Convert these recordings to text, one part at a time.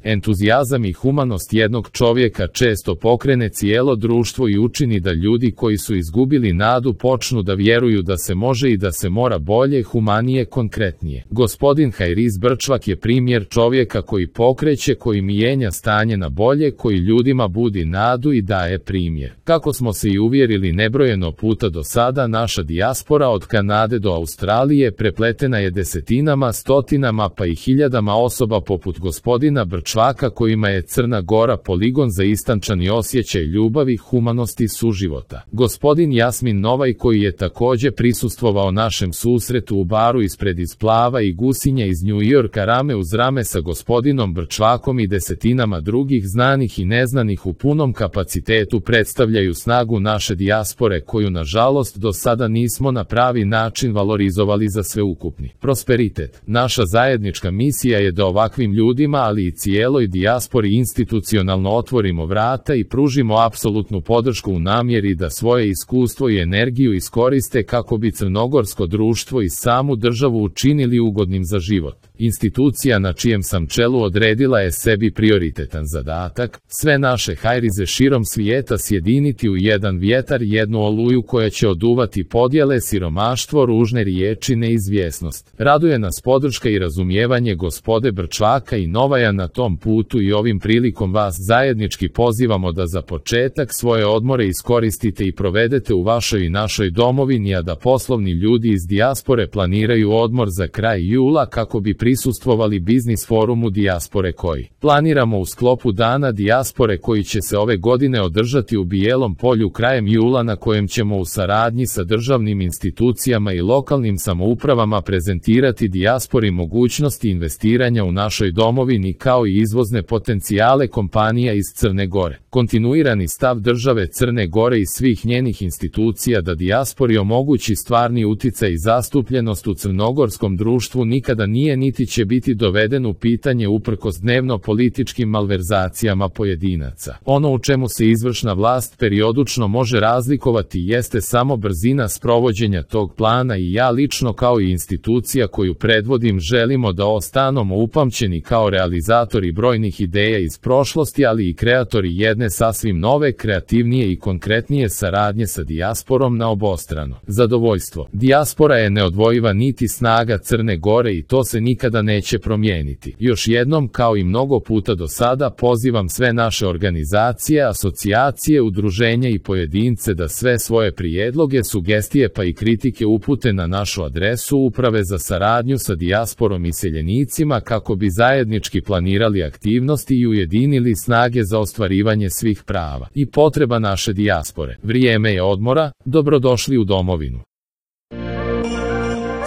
Entuzijazam i humanost jednog čovjeka često pokrene cijelo društvo i učini da ljudi koji su izgubili nadu počnu da vjeruju da se može i da se mora bolje, humanije, konkretnije. Gospodin Hajriz Brčvak je primjer čovjeka koji pokreće, koji mijenja stanje na bolje, koji ljudima budi nadu i daje primjer. Kako smo se i uvjerili nebrojeno puta do sada, naša dijaspora od Kanade do Australije prepletena je desetinama, stotinama pa i hiljadama osoba poput gospodina Brčvaka kojima je Crna Gora poligon za istančani osjećaj ljubavi, humanosti, suživota. Gospodin Jasmin Novaj koji je također prisustvovao našem susretu u baru ispred Isplava i Gusinja iz New Yorka rame uz rame sa gospodinom Brčvakom i desetinama drugih znanih i neznanih u punom kapacitetu predstavljaju snagu naše dijaspore koju nažalost do sada nismo na pravi način valorizovali za sveukupni prosperitet. Naša zajednička misija je da ovakvim ljudima, ali i cijeloj dijaspori institucionalno otvorimo vrata i pružimo apsolutnu podršku u namjeri da svoje iskustvo i energiju iskoriste kako bi crnogorsko društvo i samu državu učinili ugodnim za život. Institucija na čijem sam čelu odredila je sebi prioritetan zadatak, sve naše hajrize širom svijeta sjediniti u jedan vjetar, jednu oluju koja će oduvati podjele, siromaštvo, ružne riječi, neizvjesnost. Raduje nas podrška i razumijevanje gospode Brčvaka i Novaja na tom putu i ovim prilikom vas zajednički pozivamo da za početak svoje odmore iskoristite i provedete u vašoj i našoj domovini, a da poslovni ljudi iz dijaspore planiraju odmor za kraj jula kako bi prisustvovali biznis forumu dijaspore koji planiramo u sklopu Dana dijaspore koji će se ove godine održati u Bijelom Polju krajem jula, na kojem ćemo u saradnji sa državnim institucijama i lokalnim samoupravama prezentirati dijaspori mogućnosti investiranja u našoj domovini kao i izvozne potencijale kompanija iz Crne Gore. Kontinuirani stav države Crne Gore i svih njenih institucija da dijaspori omogući stvarni uticaj i zastupljenost u crnogorskom društvu nikada nije niti će biti doveden u pitanje uprkos dnevno političkim malverzacijama pojedinaca. Ono u čemu se izvršna vlast periodično može razlikovati jeste samo brzina sprovođenja tog plana i ja lično kao i institucija koju predvodim želimo da ostanemo upamćeni kao realizatori brojnih ideja iz prošlosti, ali i kreatori jedne sasvim nove, kreativnije i konkretnije saradnje sa dijasporom na obostrano zadovoljstvo. Dijaspora je neodvojiva niti snaga Crne Gore i to se nikada neće promijeniti. Još jednom, kao i mnogo puta do sada, pozivam sve naše organizacije, asocijacije, udruženja i pojedince da sve svoje prijedloge, sugestije pa i kritike upute na našu adresu Uprave za saradnju sa dijasporom i iseljenicima kako bi zajednički planirali aktivnosti i ujedinili snage za ostvarivanje svih prava i potreba naše dijaspore. Vrijeme je odmora, dobrodošli u domovinu.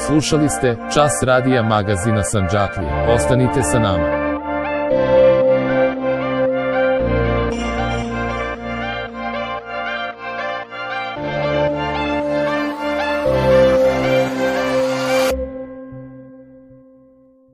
Slušali ste Čas radija magazina Sandžaklija. Ostanite sa nama.